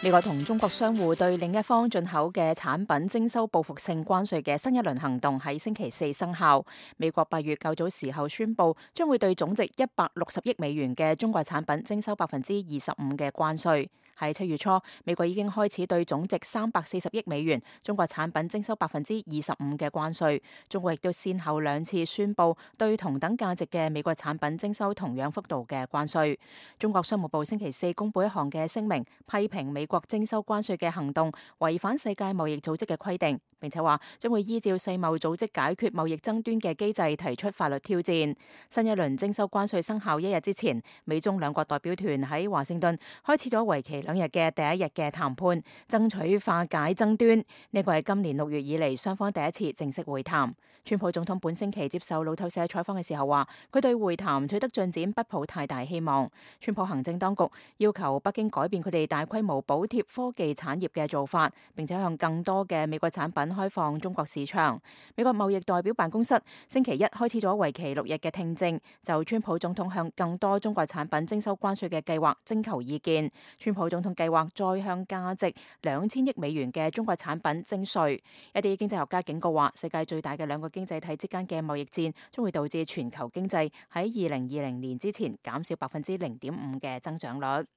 美國同中國商戶對另一方進口嘅產品徵收報復性關稅嘅新一輪行動喺星期四生效。美國8月較早時候宣布，將會對總值160億美元嘅中國產品徵收25%嘅關稅。喺7月初，美國已經開始對總值340億美元中國產品徵收25%嘅關稅。中國亦都先後兩次宣布對同等價值嘅美國產品徵收同樣幅度嘅關稅。中國商務部星期四公布一項嘅聲明，批評美國徵收關稅嘅行動違反世界貿易組織嘅規定，並且話將會依照世貿組織解決貿易爭端嘅機制提出法律挑戰。新一輪徵收關稅生效一日之前，美中兩國代表團喺華盛頓開始咗為期2日嘅第一日嘅談判，爭取化解爭端。呢個係今年6月以嚟雙方第一次正式會談。川普總統本星期接受路透社採訪嘅時候話，佢對會談取得進展不抱太大希望。川普行政當局要求北京改變佢哋大規模補貼科技產業嘅做法，並且向更多嘅美國產品開放中國市場。美國貿易代表辦公室星期一開始咗為期6日嘅聽證，就川普總統向更多中國產品徵收關稅嘅計劃徵求意見。川普總統計劃再向價值2000億美元嘅中國產品徵稅。一啲經濟學家警告話，世界最大嘅兩個經濟體之間嘅貿易戰將會導致全球經濟喺2020年之前減少0.5%嘅增長率。